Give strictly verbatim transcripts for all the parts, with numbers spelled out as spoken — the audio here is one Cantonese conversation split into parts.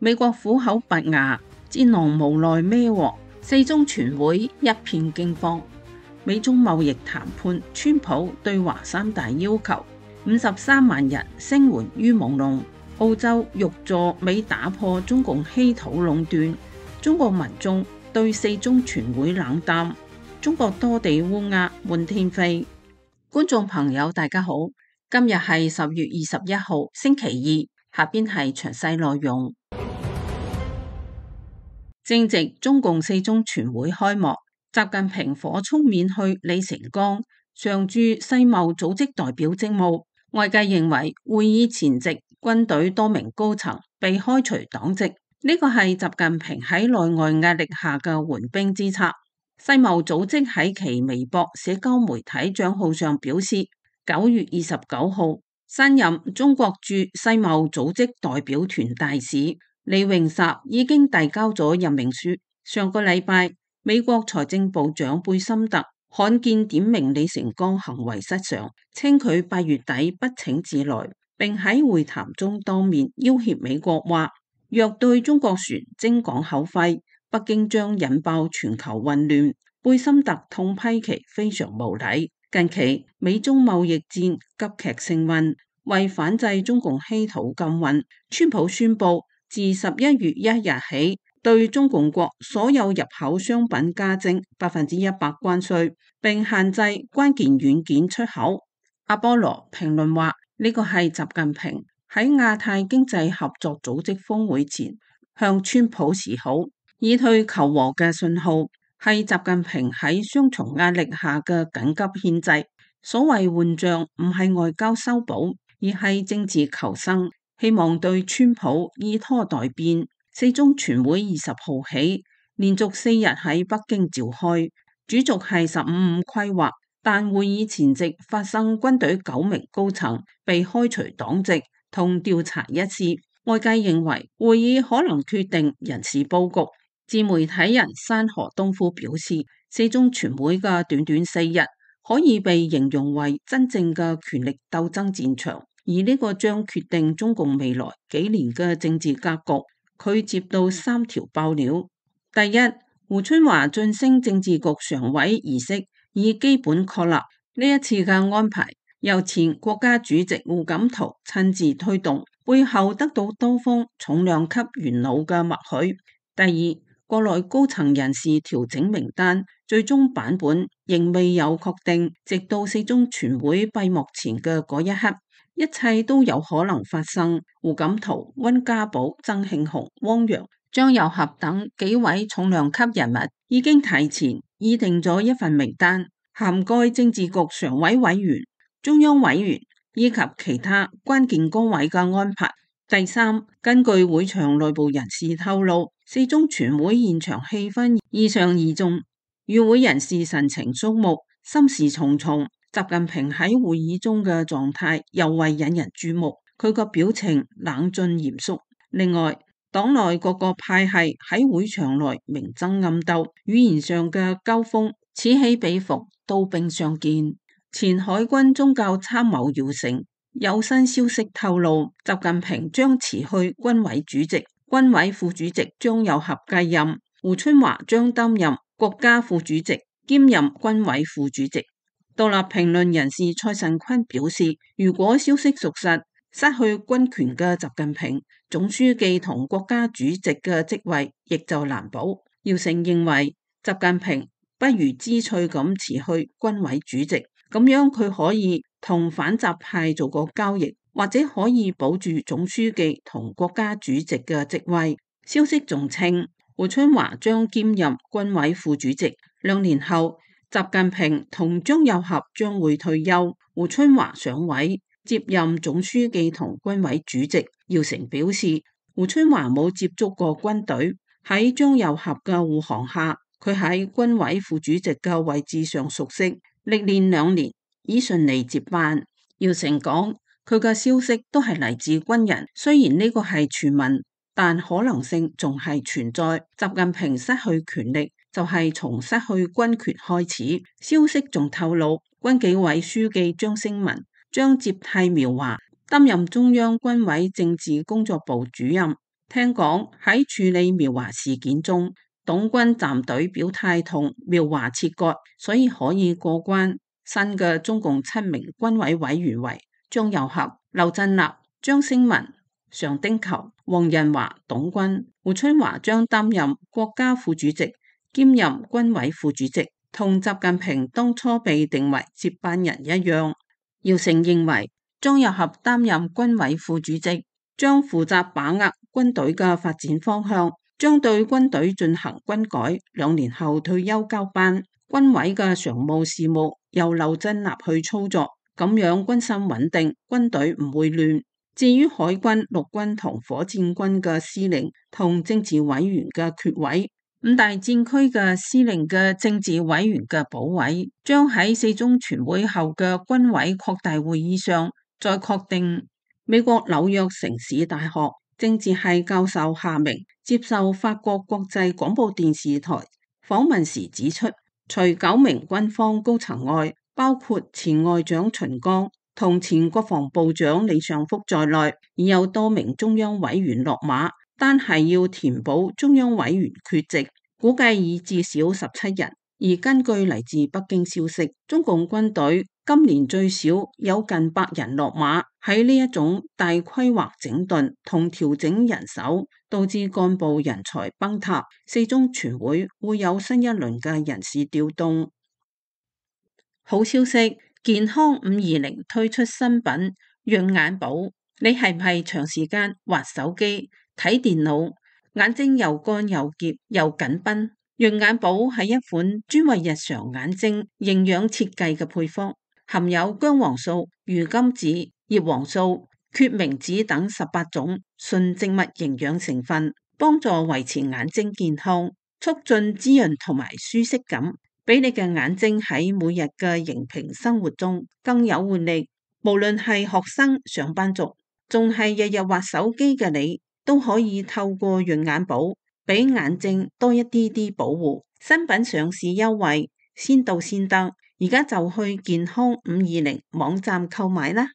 美國苦口拔牙，戰狼無奈孭鑊，四中全會一片驚慌。美中貿易談判，川普對華三大要求，五十三萬人聲援於朦朧。澳洲欲助美打破中共稀土壟斷，中國民眾對四中全會冷淡，中國多地烏鴉滿天飛。觀眾朋友大家好，今日係十月二十一號星期二，下邊係詳細內容。正值中共四中全會開幕，習近平火速免去李成鋼常駐世貿組織代表職務，外界認為會議前夕軍隊多名高層被開除黨籍，呢個係習近平喺內外壓力下嘅緩兵之策。世貿組織喺其微博社交媒體賬號上表示，九月二十九號新任中國駐世貿組織代表團大使李永薩已經遞交咗任命書。上個禮拜，美國財政部長貝森特罕見點名李成鋼行為失常，稱佢八月底不請自來，並喺會談中當面要挾美國話，若對中國船徵港口費，北京將引爆全球混亂。貝森特痛批其非常無禮。近期美中貿易戰急劇升溫，為反制中共稀土禁運，川普宣布自十一月一日起，對中共國所有入口商品加徵百分之一百關稅，並限制關鍵軟件出口。阿波羅評論話，呢個係習近平喺亞太經濟合作組織峰會前向川普示好，以退求和嘅信號，係習近平喺雙重壓力下嘅緊急獻祭。所謂換將唔係外交修補，而係政治求生，希望對川普以拖待變。四中全會二十號起連續四日喺北京召開，主軸係十五五規劃，但會議前夕發生軍隊九名高層被開除黨籍同調查一事，外界認為會議可能決定人事佈局。自媒體人山河東夫表示，四中全會嘅短短四日可以被形容為真正嘅權力鬥爭戰場，而呢個將決定中共未來幾年嘅政治格局。佢接到三條爆料：第一，胡春華晉升政治局常委儀式已基本確立，呢一次嘅安排由前國家主席胡錦濤親自推動，背後得到多方重量級元老嘅默許。第二，國內高層人事調整名單最終版本仍未有確定，直到四中全會閉幕前嘅嗰一刻，一切都有可能發生。胡錦濤、溫家寶、曾慶紅、汪洋、張又俠等幾位重量級人物已經提前擬定咗一份名單，涵蓋政治局常委委員、中央委員以及其他關鍵崗位嘅安排。第三，根據會場內部人士透露，四中全會現場氣氛異常凝重，與會人士神情肅穆，心事重重。習近平喺會議中嘅狀態尤為引人注目，佢個表情冷峻嚴肅。另外，黨內各個派系喺會場內明爭暗鬥，語言上嘅交鋒此起彼伏，刀兵相見。前海軍宗教參謀姚成有新消息透露，習近平將辭去軍委主席，軍委副主席張又俠繼任，胡春華將擔任國家副主席，兼任軍委副主席。獨立評論人士蔡慎坤表示，如果消息屬實，失去軍權嘅習近平總書記同國家主席嘅職位亦就難保。姚成認為，習近平不如知趣咁辭去軍委主席，咁樣佢可以同反習派做個交易，或者可以保住總書記同國家主席嘅職位。消息仲稱，胡春華將兼任軍委副主席，兩年後習近平同張又俠將會退休，胡春華上位接任總書記同軍委主席。姚成表示，胡春華冇接觸過軍隊，喺張又俠嘅護航下，佢喺軍委副主席嘅位置上熟悉，歷練兩年已順利接班。姚成講，佢嘅消息都係嚟自軍人，雖然呢個係傳聞，但可能性仲係存在。習近平失去權力，就係從失去軍權開始。消息仲透露，軍紀委書記張升文將接替苗華擔任中央軍委政治工作部主任。聽講喺處理苗華事件中，董軍站隊表態同苗華切割，所以可以過關。新嘅中共七名軍委委員為張又俠、劉振立、張星文、常丁球、黃仁華、董軍。胡春華將擔任國家副主席，兼任軍委副主席，同習近平當初被定為接班人一樣。姚成認為張又俠擔任軍委副主席，將負責把握軍隊嘅發展方向，將對軍隊進行軍改，兩年後退休交班。軍委嘅常務事務由劉振立去操作，咁樣軍心穩定，軍隊唔會亂。至於海軍、陸軍同火箭軍嘅司令同政治委員嘅缺位，五大戰區嘅司令嘅政治委員嘅補位，將喺四中全會後嘅軍委擴大會議上再確定。美國紐約城市大學政治系教授夏明接受法國國際廣播電視台訪問時指出，除九名軍方高層外，包括前外長秦剛同前國防部長李尚福在內，已有多名中央委員落馬，單係要填補中央委員缺席，估計已至少十七人。而根據嚟自北京消息，中共軍隊今年最少有近百人落馬。喺呢一種大規劃整頓同調整人手，導致幹部人才崩塌，四中全會會有新一輪嘅人事調動。好消息，健康五二零推出新品潤眼寶。你係唔係長時間滑手機睇電腦，眼睛又乾又澀又緊繃？潤眼寶係一款專為日常眼睛營養設計嘅配方，含有薑黃素、魚甘子、葉黃素、決明子等十八種純植物營養成分，幫助維持眼睛健康，促進滋潤同埋舒適感，俾你嘅眼睛喺每日嘅熒屏生活中更有活力。無論係學生、上班族，仲係日日滑手機嘅你，都可以透過潤眼寶俾眼睛多一啲啲保護。新品上市優惠，先到先得，而家就去健康五二零網站購買啦。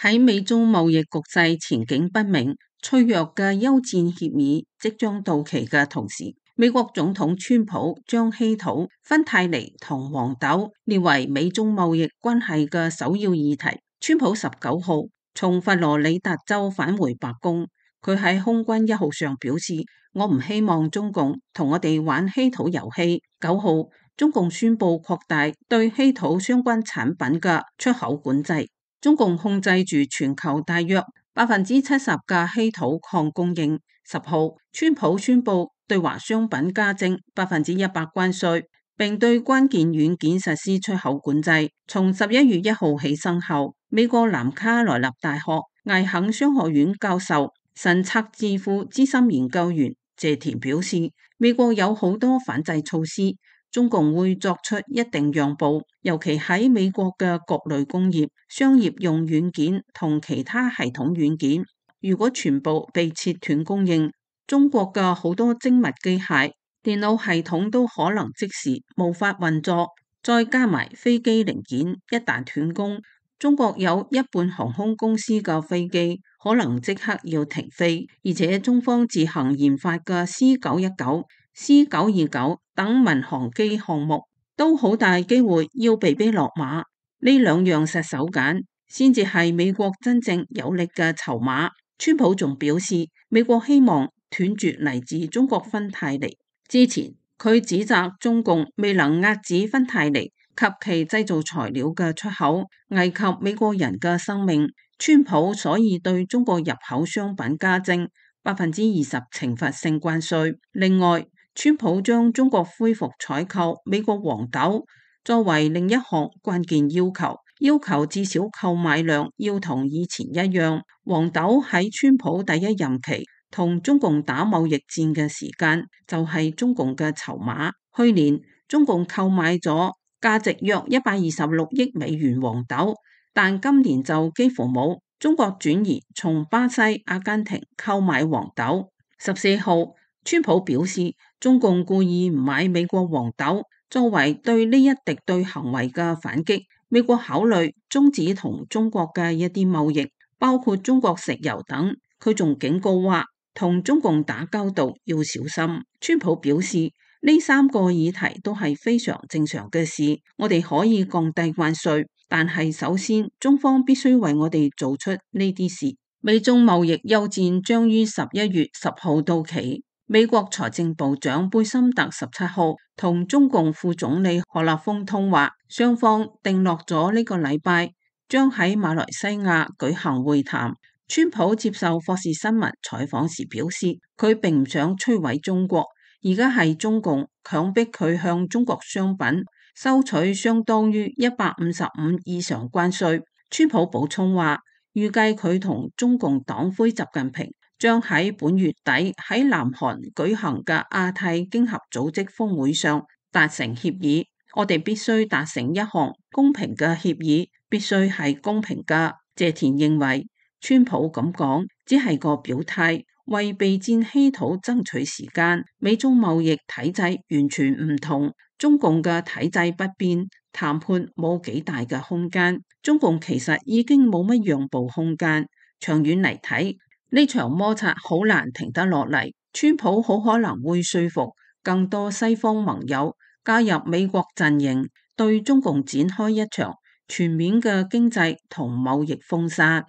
喺美中貿易局勢前景不明、脆弱嘅休戰協議即將到期嘅同時，美國總統川普將稀土、芬太尼同黃豆列為美中貿易關係嘅首要議題。川普十九號從佛羅里達州返回白宮，佢喺空軍一號上表示：我唔希望中共同我哋玩稀土遊戲。九號，中共宣布擴大對稀土相關產品嘅出口管制。中共控制住全球大約百分之七十嘅稀土礦供應。十號，川普宣布對華商品加徵百分之一百關稅，並對關鍵軟件實施出口管制，從十一月一號起生效。美國南卡羅來納大學艾肯商學院教授、神策智庫資深研究員謝田表示，美國有好多反制措施，中共會作出一定讓步，尤其喺美國嘅各類工業、商業用軟件同其他系統軟件，如果全部被切斷供應，中國嘅好多精密機械、電腦系統都可能即時無法運作，再加埋飛機零件一旦斷供，中國有一半航空公司嘅飛機可能即刻要停飛，而且中方自行研發嘅 C 九一九、C 九二九等民航機項目都好大機會要被逼落馬。呢兩樣實手鐧先至係美國真正有力嘅籌碼。川普仲表示，美國希望斷絕嚟自中國芬太尼。之前佢指責中共未能遏止芬太尼及其製造材料嘅出口，危及美國人嘅生命。川普所以對中國入口商品加徵百分之二十懲罰性關稅。另外，川普將中國恢復採購美國黃豆作為另一項關鍵要求，要求至少購買量要同以前一樣。黃豆喺川普第一任期同中共打貿易戰嘅時間就係中共嘅籌碼。去年中共購買咗價值約一百二十六億美元黃豆，但今年就幾乎冇。中國轉移從巴西、阿根廷購買黃豆。十四號，川普表示，中共故意唔買美國黃豆，作為對呢一敵對行為嘅反擊。美國考慮終止同中國嘅一啲貿易，包括中國石油等。佢仲警告話，同中共打交道要小心。川普表示，呢三個議題都係非常正常嘅事，我哋可以降低關稅，但係首先中方必須為我哋做出呢啲事。美中貿易休戰將於十一月十號到期。美國財政部長貝森特十七號同中共副總理何立峰通話，雙方定落咗呢個禮拜將喺馬來西亞舉行會談。川普接受霍士新聞採訪時表示，佢並唔想摧毀中國，而家係中共強迫佢向中國商品收取相當於一百五十五以上關稅。川普補充話，預計佢同中共黨魁習近平將喺本月底喺南韓舉行嘅亞太經合組織峰會上達成協議。我哋必須達成一項公平嘅協議，必須係公平嘅。謝田認為，川普咁講只係個表態，為備戰稀土爭取時間。美中貿易體制完全唔同，中共嘅體制不變，談判冇幾大嘅空間。中共其實已經冇乜讓步空間，長遠嚟睇，呢場摩擦好難停得落嚟。川普好可能會說服更多西方盟友加入美國陣營，對中共展開一場全面嘅經濟同貿易封殺。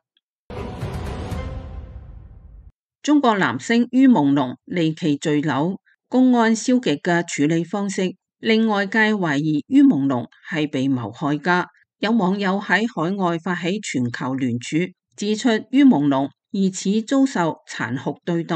中國男星于朦朧離奇墜樓，公安消極嘅處理方式令外界懷疑于朦朧係被謀害家。有網友喺海外發起全球聯署，指出于朦朧疑似遭受殘酷對待，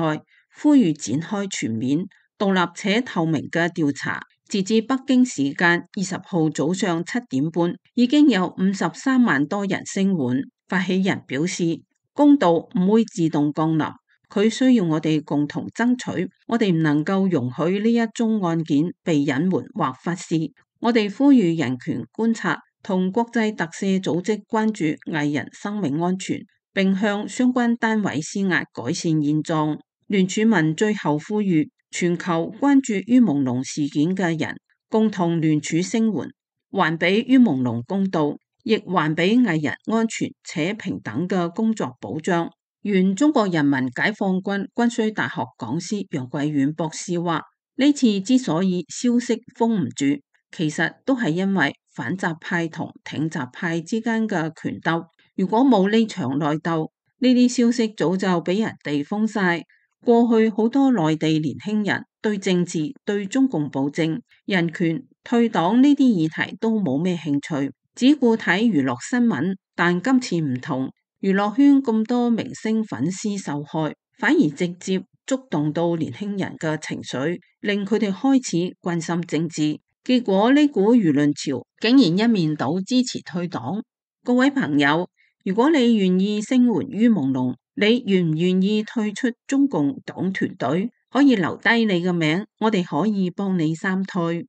呼籲展開全面、獨立且透明嘅調查。截至北京時間二十號早上七點半，已經有五十三萬多人聲援。發起人表示，公道唔會自動降臨，佢需要我哋共同爭取。我哋唔能夠容許呢一宗案件被隱瞞或忽視。我哋呼籲人權觀察同國際特赦組織關注藝人生命安全，並向相關單位施壓改善現狀。聯署文最後呼籲全球關注于朦朧事件嘅人共同聯署聲援，還俾于朦朧公道，亦還俾藝人安全且平等嘅工作保障。原中國人民解放軍軍需大學講師楊貴遠博士話，呢次之所以消息封唔住，其實都係因為反習派同挺習派之間嘅權鬥。如果冇呢場內鬥，呢啲消息早就俾人哋封晒。過去好多內地年輕人對政治、對中共暴政、人權、退黨呢啲議題都冇咩興趣，只顧睇娛樂新聞。但今次唔同，娛樂圈咁多明星粉絲受害，反而直接觸動到年輕人嘅情緒，令佢哋開始關心政治。結果呢股輿論潮竟然一面倒支持退黨。各位朋友，如果你願意聲援于朦朧，你願唔願意退出中共黨團隊？可以留低你嘅名，我哋可以幫你三退。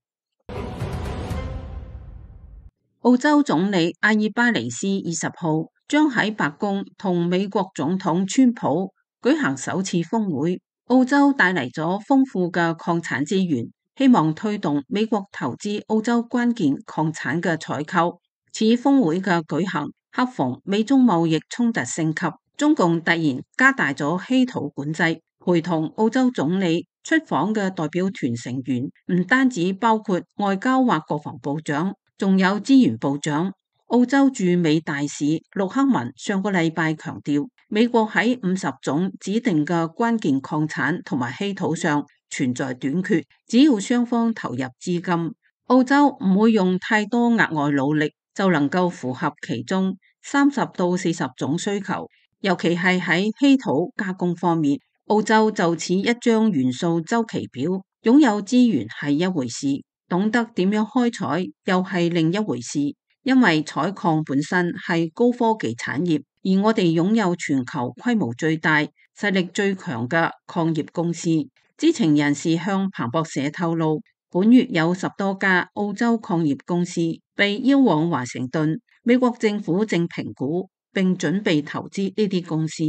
澳洲總理阿爾巴尼斯二十號將喺白宮同美國總統川普舉行首次峰會。澳洲帶嚟咗豐富嘅礦產資源，希望推動美國投資澳洲關鍵礦產嘅採購。此峰會嘅舉行，恰逢美中貿易衝突升級，中共突然加大咗稀土管制。陪同澳洲總理出訪嘅代表團成員唔單止包括外交或國防部長，仲有資源部長。澳洲駐美大使陸克文上個禮拜強調，美國喺五十種指定嘅關鍵礦產同埋稀土上存在短缺，只要雙方投入資金，澳洲唔會用太多額外努力就能夠符合其中三十到四十種需求。尤其係喺稀土加工方面，澳洲就似一張元素周期表，擁有資源係一回事，懂得點樣開採又係另一回事。因為採礦本身係高科技產業，而我哋擁有全球規模最大、實力最強嘅礦業公司。知情人士向彭博社透露，本月有十多家澳洲礦業公司被邀往華盛頓，美國政府正評估並準備投資呢啲公司。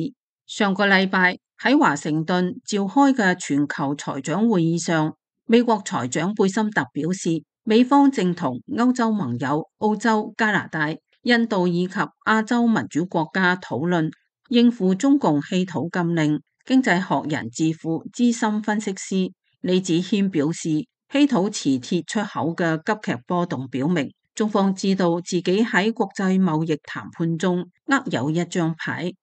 上個禮拜喺華盛頓召開嘅全球財長會議上，美國財長貝森特表示，美方正同歐洲盟友、澳洲、加拿大、印度以及亞洲民主國家討論應付中共稀土禁令。經濟學人智庫資深分析師李子謙表示，稀土磁鐵出口嘅急劇波動表明，中方知道自己喺國際貿易談判中握有一張牌。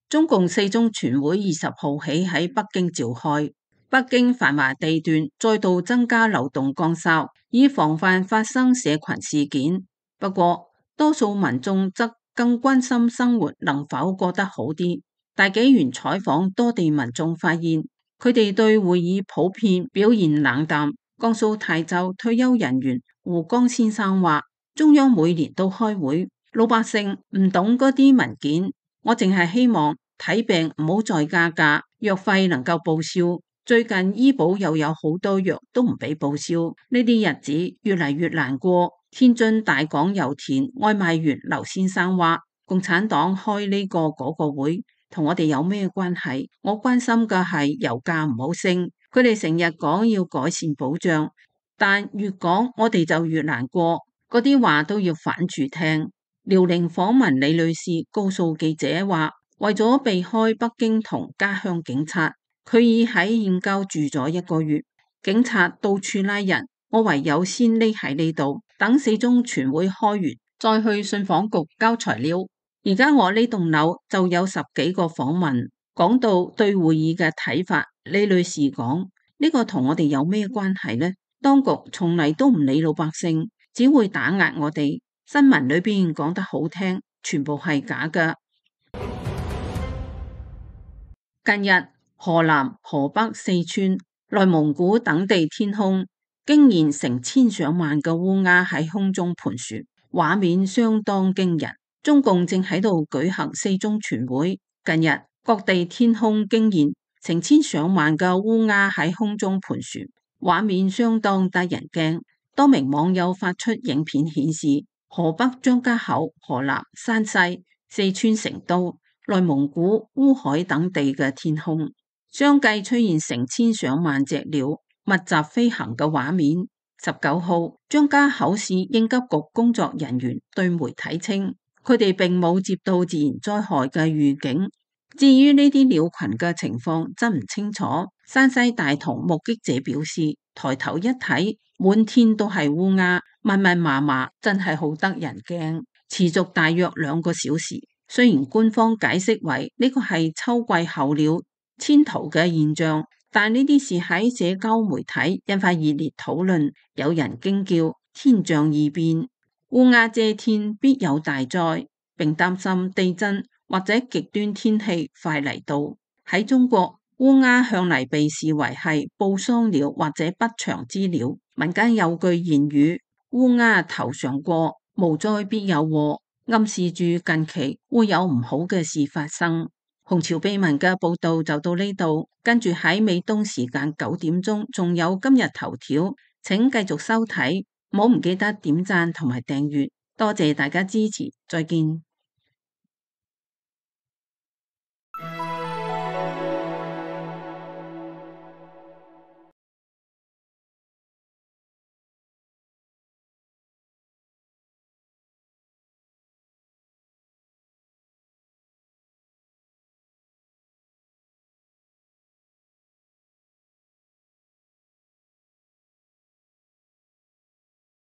中共四中全會二十號起喺北京召開，北京繁華地段再度增加流動崗哨，以防範發生社群事件。不過，多數民眾則更關心生活能否過得好啲。大紀元採訪多地民眾發現，佢哋對會議普遍表現冷淡。江蘇泰州退休人員胡江先生話：中央每年都開會，老百姓唔懂嗰啲文件，我淨係希望睇病唔好再加價，藥費能夠報銷。最近醫保又有好多藥都唔俾報銷，呢啲日子越嚟越難過。天津大港油田外賣員劉先生話：共產黨開呢個嗰個會，同我哋有咩關係？我關心嘅係油價唔好升。佢哋成日講要改善保障，但越講我哋就越難過。嗰啲話都要反住聽。遼寧訪問李女士告訴記者話：為咗避開北京同家鄉警察，佢已喺燕郊住咗一個月。警察到處拉人，我唯有先匿喺呢度，等四中全會開完，再去信訪局交材料。而家我呢棟樓就有十幾個訪問，講到對會議嘅睇法。李女士講：呢個同我哋有咩關係呢？當局從嚟都唔理老百姓，只會打壓我哋。新聞裏邊講得好聽，全部係假㗎。近日，河南、河北、四川、內蒙古等地天空驚現成千上萬嘅烏鴉喺空中盤旋，畫面相當驚人。中共正喺度舉行四中全會，近日各地天空驚現成千上萬嘅烏鴉喺空中盤旋，畫面相當得人驚。多名網友發出影片顯示，河北張家口、河南、山西、四川成都、內蒙古烏海等地嘅天空，相繼出現成千上萬隻鳥密集飛行嘅畫面。十九號，張家口市應急局工作人員對媒體稱，佢哋並冇接到自然災害嘅預警。至於呢啲鳥群嘅情況真唔清楚。山西大同目擊者表示，抬頭一睇，滿天都係烏鴉，密密麻麻，真係好得人驚。持續大約兩個小時。雖然官方解釋為呢個係秋季候鳥遷徙嘅現象，但呢啲事喺社交媒體引發熱烈討論。有人驚叫天象異變，烏鴉遮天必有大災，並擔心地震或者極端天氣快嚟到。喺中國，烏鴉向嚟被視為係報喪鳥或者不祥之鳥。民間有句諺語：烏鴉頭上過，無災必有禍，暗示住近期會有唔好嘅事發生。紅潮秘聞嘅報道就到呢度，跟住喺美東時間九點鐘仲有今日頭條，請繼續收睇，唔好唔記得點讚同埋訂閱，多謝大家支持，再見。